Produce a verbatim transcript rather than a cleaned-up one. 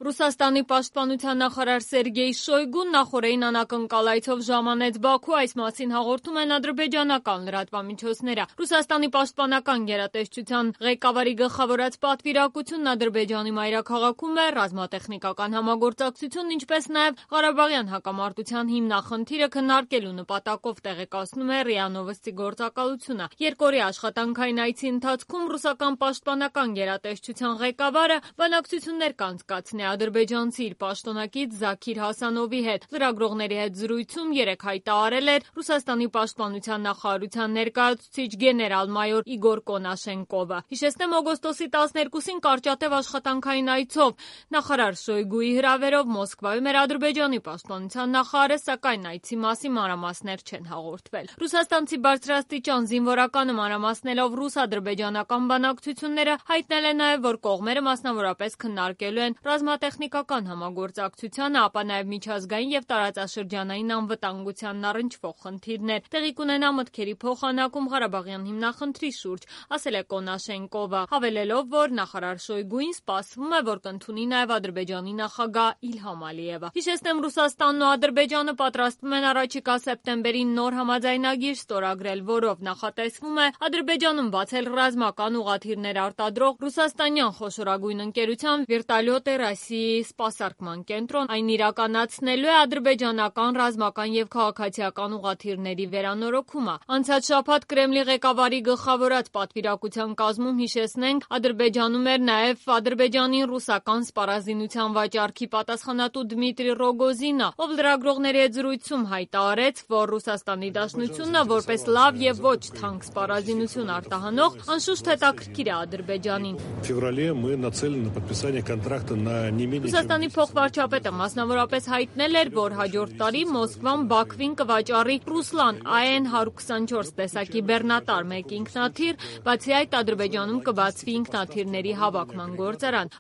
Ռուսաստանի պաշտպանության նախարար Սերգեյ Շոյգուն նախորդին անակնկալայցով ժամանեց Բաքու, այս մասին հաղորդում են ադրբեջանական լրատվամիջոցները։ Ռուսաստանի պաշտպանական գերատեսչության ղեկավարի գլխավորած պատվիրակությունն Ադրբեջանի մայրաքաղաքում է, ռազմատեխնիկական համագործակցությունն, ինչպես նաև Ղարաբաղյան հակամարտության հիմնախնդիրը քննարկելու նպատակով տեղեկացնում է ՌԻԱ Նովոստի գործակալությունը։ Երկօրյա աշխատանքային այցի ընթացքում ռուսական պաշտպանական գերատեսչության ղեկավարը բանակցություններ կանցկացնի ադրբեջանցի իր պաշտոնակից Զաքիր Հասանովի հետ։ Լրագրողների հետ զրույցում երեկ հայտարարել էր Ռուսաստանի պաշտպանության նախարարության ներկայացուցիչ գեներալ-մայոր Իգոր Կոնաշենկովը։ Հիշեցնեմ, օգոստոսի տասներկուսին կարճատև աշխատանքային այցով նախարար Շոյգուի հրավերով Մոսկվայում էր Ադրբեջանի պաշտպանության նախարարը, սակայն այցի մասին մանրամասներ չեն հաղորդվել։ Ռուսաստանցի բարձրաստիճան զինվորականը մանրամասնելով ռուս-ադրբեջանական բանակցությունները հայտնել է նաև, որ կողմերը մասնավորապես քննարկելու են ռազմատեխնիկական համագործակցությանը, ապա նաև միջազգային եւ տարածաշրջանային անվտանգությանն առնչվող խնդիրներ։ Տեղի կունենա մտքերի փոխանակում Ղարաբաղյան հիմնախնդրի շուրջ, ասել է Կոնաշենկովը, հավելելով, որ նախարար Շոյգուին սպասվում է, որ կընդունի նաև Ադրբեջանի նախագահ Իլհամ Ալիևը։ Հիշեցնեմ, Ռուսաստանն ու Ադրբեջանը պատրաստվում են առաջիկա սեպտեմբերին նոր համաձայնագիր ստորագրել, որով նախատեսվում է Ադրբեջանում բացել ռազմական ուղղաթիռներ արտադրող ռուսաստանյան խոշորագույն ընկերության Վերտալյոտ Ռոսիայի սպասարկման կենտրոն։ Այն իրականացնելու է ադրբեջանական ռազմական եւ քաղաքացիական ուղղաթիռների վերանորոգումը։ Անցած շաբաթ Կրեմլի ղեկավարի գլխավորած պատվիրակության կազմում, հիշեցնենք, Ադրբեջանում էր նաև Ադրբեջանին ռուսական սպառազինության վաճառքի պատասխանատու Դմիտրի Ռոգոզինը, ով լրագրողների հետ զրույցում հայտարարեց, որ Ռուսաստանի Դաշնությունը որպես լավ եւ ոչ թանկ սպառազինություն արտահանող անշուշտ հետաքրքիր է Ադրբեջանին։ Ռուսաստանի փոխվարչապետը մասնավորապես հայտնել էր, որ հաջորդ տարի Մոսկվան Բաքվին կվաճառի Ռուսլան A N one twenty-four տեսակի բեռնատար մեկ ինքնաթիռ, բացի այդ Ադրբեջանում կբացվի ինքնաթիռների հավաքման գործարան։